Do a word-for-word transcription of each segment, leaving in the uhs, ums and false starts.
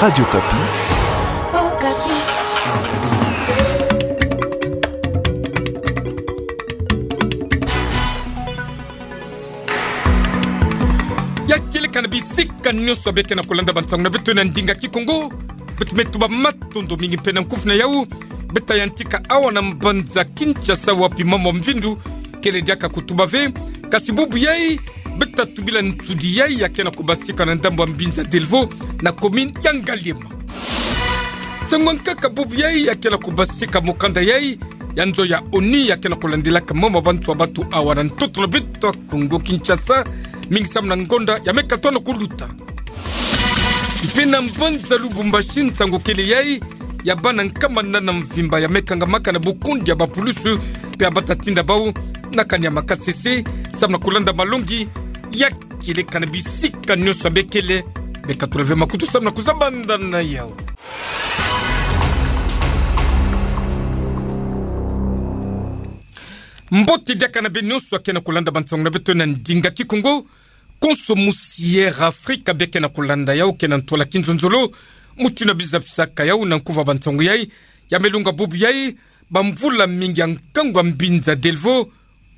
Radio Okapi. Okapi. Ya kieleka na bisika nyonso beke na kolanda bansango na beto na ndinga Kikongo. Beto me tuba matondo mingi mpe na nkufi na yau. Beta yantika awa na mbanza Kinshasa wapi mambu ya mvindu kele diaka kutuba ve. Kasi bubu yai, beta tubila nsudi yai ya ke na kubasika na ndambu ya Mbinza Delvaux na commune ya Ngaliema. Nsangu ya nkaka bubu yai ya ke na kubasika mokanda yai ya nzo ya ONU ya ke na kulandilaka mambu ya bantu ya batu awa na ntoto na beto ya Kongo Kinshasa, mingi samu na ngonda ya me katono kuluta. Mpe na mbanza Lubumbashi, nsangu kele yai ya bana nkama nana mvimba ya me kangamaka na bukundi ya bapulusu, mpe ya bata tinda bau na kani ya makasese, samu na kulanda malongi ya kieleka na bisika nyonso bekele. Beka tula ve makutu samu na kuzabanda na yau. Mbote diaka na beno nyonso ya ke na kulanda bansango na beto na ndinga Kikongo. Konso musi Air Africa beke na kulanda yau ke na ntwala kinzonzolo. Mutindu ya biza bisaka yau na nkufi ya bansango yai, ya me lunga bubu yai, bamvula mingi ya nkangu ya Mbinza Delvaux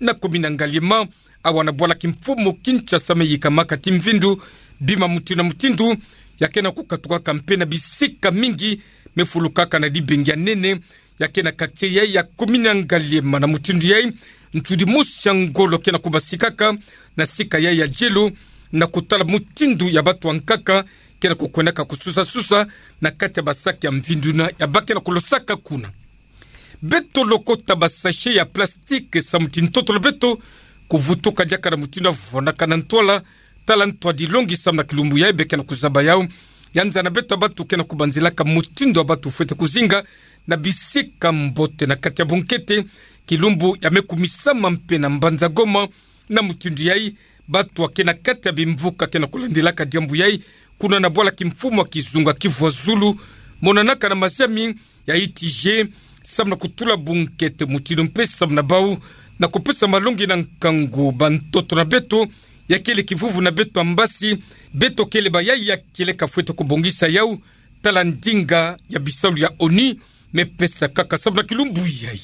na commune ya Ngaliema, awa na bwala kimfumu Kinshasa, me yikamaka ti mvindu, bima mutindu na mutindu, ya ke na kukatukaka mpe na bisika mingi, me fulukaka na dibengi ya nene, ya ke na quartier yai ya commune ya Ngaliema. Na mutindu yai, nsudi mosi ya ngolo ke na kubasikaka na sika yai ya jelo, na kutala mutindu ya batu ya nkaka ke na kukwendaka kususa-susa na kati ya basaki ya mvindu na ya ba ke na kulosaka kuna. Beto lokota basachet ya plastique samu ti ntoto na beto kuvutuka diaka na mutindu ya vwandaka na ntwala, tala ntwadilongi samu na kilumbu yai beke na kuzaba yau. Ya nza na beto ya batu ke na kubanzilaka mutindu ya batu fwete kuzinga na bisika mbote na kati ya bunkete, kilumbu ya me kumisama mpe na mbanza Goma. Na mutindu yai, batu ya ke na kati ya bimvuka ke na kulandilaka diambu yai, kuna na bwala kimfumu ya kizunga Kivu ya Zulu, monanaka na maziami ya I T G, samu na kutula bunkete mutindu mpe samu na bau na kupesa malongi na nkangu ba ntoto na beto, ya kele kivuvu na beto ya mbasi. Beto kele ba yai ya kieleka fwete kubongisa yau, tala ndinga ya bisalu ya ONU me pesa kaka samu na kilumbu yai.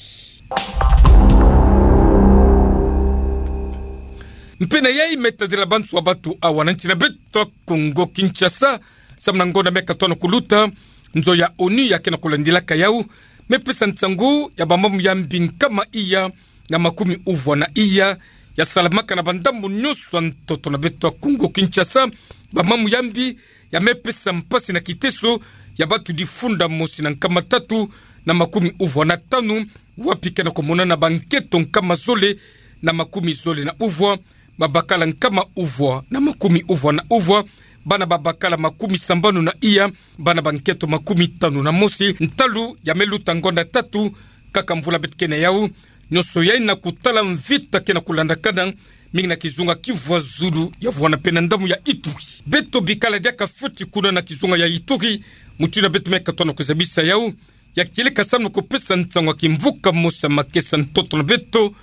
Mpe na yai me tadila bantu ya batu awa na nsi na beto ya Kongo Kinshasa, samu na ngonda me katono kuluta, nzo ya ONU ya ke na kulandilaka yau, me pesa nsangu ya bamamu ya mbi nkama iya na makumi uvwa na iya ya salamaka na bandambu nyonso ya ntoto na beto ya Kongo Kinshasa. Bamamu ya mbi ya me pesa mpasi na kiteso ya batu difunda mosi na nkama tatu na makumi uvwa na tanu, wapi ke na kumonana banketo nkama zole na makumi zole na uvwa, babakala nkama uvwa na makumi uvwa na uvwa, bana babakala makumi sambanu na iya, bana banketo makumi tanu na mosi. Ntalu ya me luta ngonda tatu, kaka mvula beto ke na yau, nyonso yai na kutala mvita ke na kulandakana, mingi na kizunga Kivu ya Zulu, ya vwanda mpe na ndambu ya Ituri. Beto bikala diaka fioti kuna na kizunga ya Ituri, mutindu ya beto me katono kuzabisa yau, ya kieleka samu na kupesa nsangu ya kimvuka mosi ya makesa ntoto na beto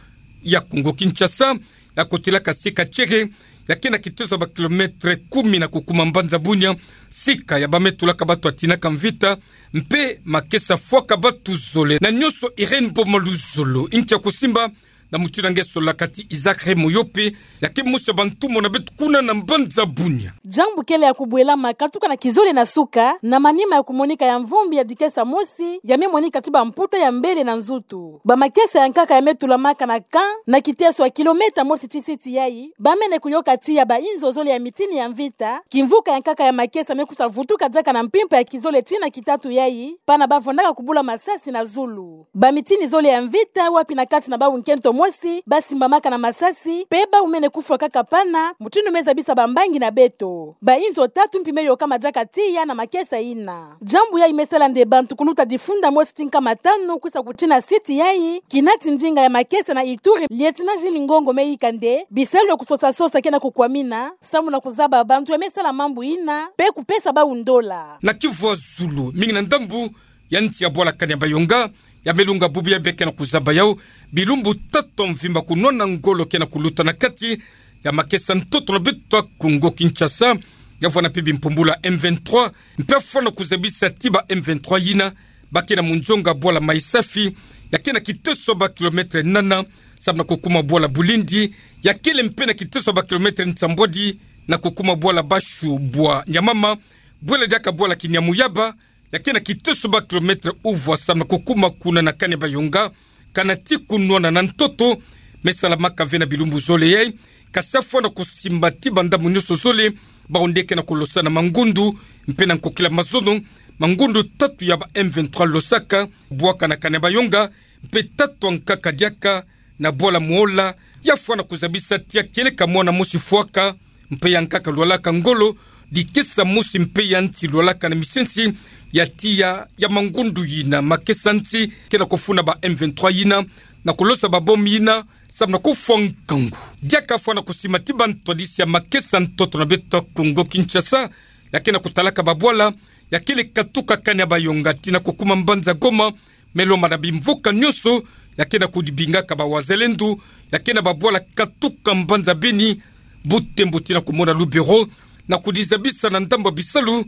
ya Kongo Kinshasa, ya kotilaka sika Tiéré, ya ke na kiteso ba kilomètre kumi na kukuma mbanza Bunia, sika ya ba me tulaka batu ya tinaka mvita, mpe makesa fwaka batu zole. Na nyonso Irène Boma Luzolo, ntia kusimba, na mutindu ya nge solaka ti Isaac Remoyope, ya ke mosi ya bantumwa na beto kuna na mbanza Bunia. Diambu kele ya kubwelama katuka na kizole na suka, na manima ya kumonika ya mvumbi ya dikesa mosi, ya me monika ti bamputa ya mbele na nzutu. Bamakesa ya nkaka ya me tulamaka na camp, na kiteso ya kilomètre mosi ti site yai, ba mene kuyoka tiya bainzo zole ya mitini ya mvita, kimvuka ya nkaka ya makesa me kusa vutuka diaka na mpimpa ya kizole tii na kitatu yai, pana ba vwandaka kubula masasi na zulu. Bamitini zole ya mvita wapi na kati na bau nkento mosi ba simbamaka na masasi, mpe bau mene kufwa kaka pana, mutindu me zabisa bambangi na beto. Bainzo tatu mpi me yokama diaka tiya na makesa ina. Diambu yai me sala nde bantu kuluta difunda mosi ti nkama tanu kusa kutii na site yai. Kinati ndinga ya makesa na Ituri, Lieutenant Jules Ngongo me yika nde bisalu ya kusosa-sosa ke na kukwamina, samu na kuzaba bantu ya me sala mambu ina, mpe kupesa bau ndola. Na Kivu ya Zulu, mingi na ndambu ya nsi ya bwala kani ya Bayonga, ya me lunga bubu yai beke na kuzaba yau, bilumbu tatu ya mvimba kunwana ngolo ke na kuluta na kati ya makesa ntoto na beto ya Kongo Kinshasa, ya vwanda mpe bimpumbulu ya M vingt-trois, mpe afwana kuzabisa ti ba M vingt-trois yina, ba ke na munzonga bwala Maï-Safi, ya ke na kiteso ba kilomètre nana, samu na kukuma bwala Bulindi, ya kele mpe na kiteso ba kilomètre nsambwadi, na kukuma bwala Bashu bwa Nyamama, bwela diaka bwala Kiniamuyaba, ya ke na kiteso ba kilomètre uvwa samu na kukuma kuna na Kanebayonga, kana ti kunwana na ntoto, me salamaka ve na bilumbu zole yai, kasi afwana kusimba ti ba ndambu nyonso zole, bawu nde ke na kulosa na mangundu, mpe na nkokila mazono, mangundu tatu ya ba M vingt-trois losaka, bwaka na Kanebayonga, mpe tatu ankaka diaka, na bwala Muola, ya fwana kuzabisa ti ya kieleka mwana mosi fwaka, mpe ya nkaka lwalaka ngolo, dikesa mosi mpe ya nti lwalaka na misensi, ya tiya ya mangundu yina makesa nti, ke na kufuna ba M vingt-trois yina, na kulosa ba bombe yina, samu na kufwa nkangu. Diaka fwana kusimba ti ba ntwadisi ya makesa ntoto na beto ya Kongo Kinshasa, ya ke na kutalaka ba bwala, ya kele katuka Kanebayonga tii na kukuma mbanza Goma, me lomba na bimvuka nyonso, ya ke na kudibingaka ba wazalendo, ya ke na ba bwala katuka mbanza Beni, Butembo tii na kumona Lubero, na kudizabisa na ndambu ya bisalu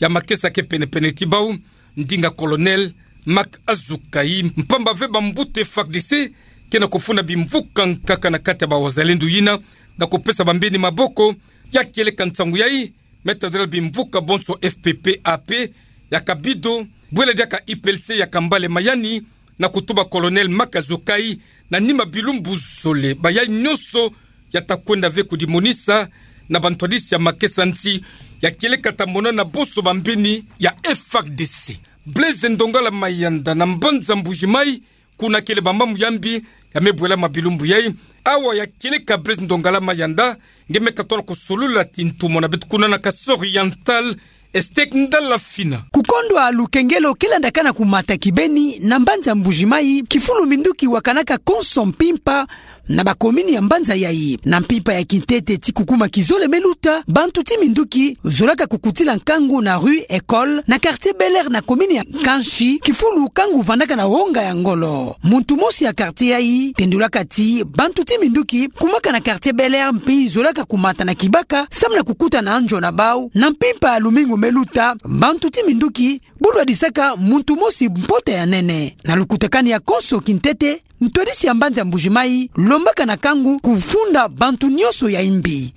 ya makesa ke pene-pene ti bawu, ndinga Colonel Marc Azukai, mpamba ve ba mbuta F A R D C ke na kufuna bimvuka nkaka na kati ya ba wazalendo yina, na kupesa bambeni maboko, ya kieleka nsangu yai, me tadila bimvuka bonso F P P A P ya Kabido, bwela diaka I P L C ya Kambale Mayani, na kutuba Colonel Marc Azukai, na nima bilumbu zole, bayai nyonso ya ta kwenda ve kudimonisa na ba ntwadisi ya makesa nti, ya kieleka ta mona na bonso bambeni ya F A R D C. Blaise Ndongala Mayanda na mbanza Mbuji-Mayi, kuna kele ba mambu ya mbi ya me bwelama bilumbu yai. Awa ya kieleka Blaise Ndongala Mayanda, nge me katono kusolula ti ntumwa na beto kuna na Kasaï Oriental, Estec Ndala Fina. Kukondwa lukengelo ke landakana kumata kibeni na mbanza Mbuji-Mayi, kifulu minduki wakanaka konso mpimpa na ba commune ya mbanza yai. Na mpimpa ya kintete ti kukuma kizole me luta, bantu ti minduki zolaka kukutila nkangu na rue École, na quartier Bel Air na commune ya Kansi, kifulu nkangu vandaka na wonga ya ngolo. Muntu mosi ya quartier yai tendulaka ti bantu ti minduki kumaka na quartier Bel Air mpe zolaka kumata na kibaka, samu na kukuta na nzo na bawu. Na mpimpa ya lumingu me luta, bantu ti minduki budwadisaka muntu mosi mpota ya nene. Na lukutakani ya konso kintete, ntwadisi ya mbanza Mbuji-Mayi lombaka na nkangu kufunda bantu nyonso ya imbi.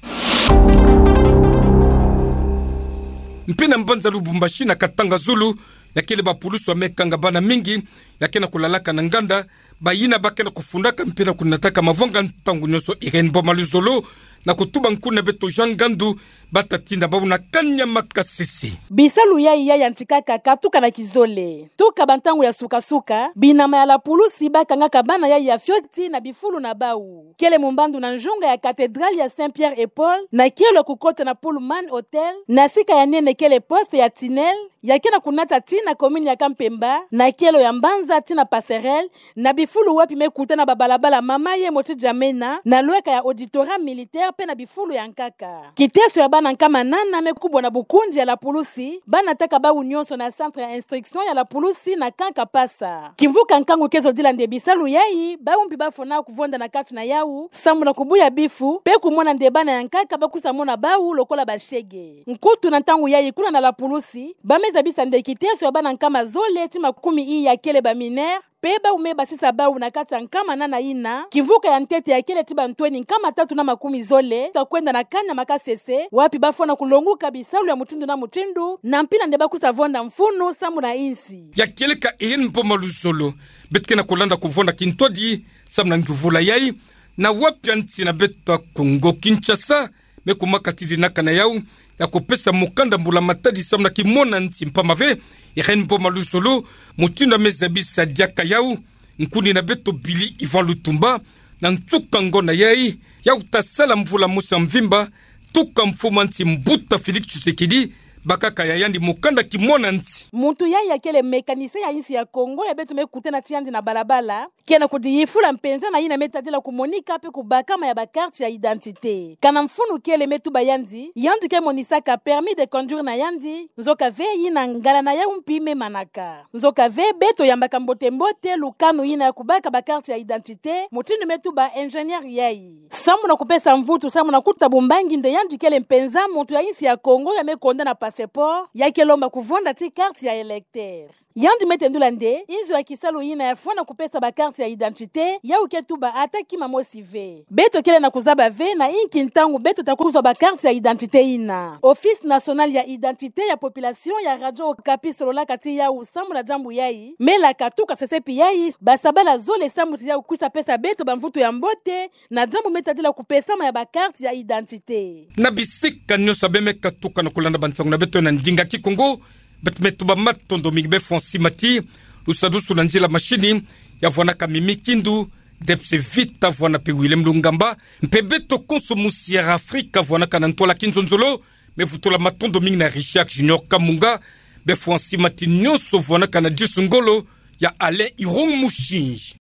Mpe na mbanza Lubumbashi na Katanga-Zulu, ya kele ba pulusu ya me kanga bana mingi ya ke na kulalaka na nganda, bayina ba ke na kufundaka mpe na kunataka mavanga ntangu nyonso. Irène Boma Luzolo, na kutuba nkuna beto Jean Ngandu, ba ta tinda bawu na kani ya makasese. Bisalu yai ya yantikaka katuka na kizole. Tuka bantangu ya suka-suka, binama ya la pulusi ba kangaka bana yai ya fioti na bifulu na bawu. Kele mumbandu na nzunga ya cathédrale ya Saint Pierre et Paul, na kielo ya kukota na Pullman Hotel, na sika ya nene kele poste ya tunnel, ya ke na kunata tii na commune ya Kampemba, na kielo ya mbanza tii na passerelle, na bifulu wapi me kutana ba balabala Mama Yemo tii N'Djamena, na lweka ya auditorat militaire mpe na bifulu ya nkaka. Kiteso ya bana nkama nana me kubwa na bukunzi ya la pulusi, ba nataka bawu nyonso na centre ya instruction ya la pulusi na Camp Kapasa. Kimvuka nkangu ke zodila nde bisalu yai, bawu mpi ba fona kuvonda na kati na yawu, samu na kubuya bifu, mpe kumona nde bana ya nkaka ba kusa mona bawu lokola bashege. Nkutu na ntangu yai kuna na la pulusi, ba me zabisa nde kiteso ya bana nkama zole tii makumi i ya kele ba mineurs, mpe bawu me basisa bawu na kati ya nkama nana yina. Kimvuka ya ntete ya kele tii ba ntweni nkama tatu na makumi zole, ta kwenda na kani ya makasese, wapi ba fona kulonguka bisalu ya mutindu na mutindu, na mpila nde ba kusa vonda mfunu samu na insi. Ya kieleka Irène Boma Luzolo, beto ke na kulanda kuvonda kintwadi samu na nguvula yai, na wapi ya nsi na beto ya Kongo Kinshasa me kumaka ti dinaka na yawu ya kupesa mukanda mbula matadi samu na kimona nsi mpamba ve Irène Boma Luzolo, mutindu ya me zabisa diaka yawu, nkuni na beto Billy Yvan Lutumba, na nsuka ngonda yai, yawu ta sala mvula mosi ya mvimba, tuka mfumu a nsi mbuta Félix Tshisekedi bakaka ya yandi mukanda kimona nti. Muntu yayi akele mécanicien ya insi ya Kongo ya beto me kutana tiandi na balabala, kena kudiyifula mpenza na yina me tadila kumonika mpe kubakama ya ba carte ya identité. Kana mfunu kele me tuba yandi, yandi ke monisaka permis de conduire na yandi, nzoka ve yina ngala na yau mpi me manaka. Nzoka ve beto yambaka mbote mbote lukanu yina ya kubaka ba carte ya identité, mutindu me tuba ingénieur yayi. Samu na kupesa mvutu, samu na kuta bumbangi nde yandi kele mpenza muntu ya insi ya Kongo ya me konda na passeport, ya ke lomba kuvonda ti carte ya électeur. Yandi me tendula nde, inzo ya kisalu yina ya fwana kupesa ba carte ya identité, yau ke tuba ata kima mosi ve. Beto kele na kuzaba ve na inki ntangu beto ta kuzwa ba carte ya identité yina. Office National ya Identité ya Population ya Radio Okapi sololaka ti yau samu na diambu yayi, me laka tuka sesepi yayi, ba sabala zole samu ti yau kwisa pesa beto ba mvutu ya mbote, na diambu me tadila kupesama ya ba carte ya identité. Na bisika nyonso abe me katuka na kulanda ba nsangu na beto na ndinga Kikongo, beto me tuba matondo mingi be François Mati, lusadusu na nzila mashini, ya vwanaka Mimi Kindu, Debs Vita vwana mpe Willem Lungamba, mpe beto konso musi ya Afrika vwanaka na ntwala kinzonzolo, me vutula matondo mingi na Richard Junior Kamunga, be François Mati nyonso vwanaka na disu ngolo, ya Alain Irung Mushinji.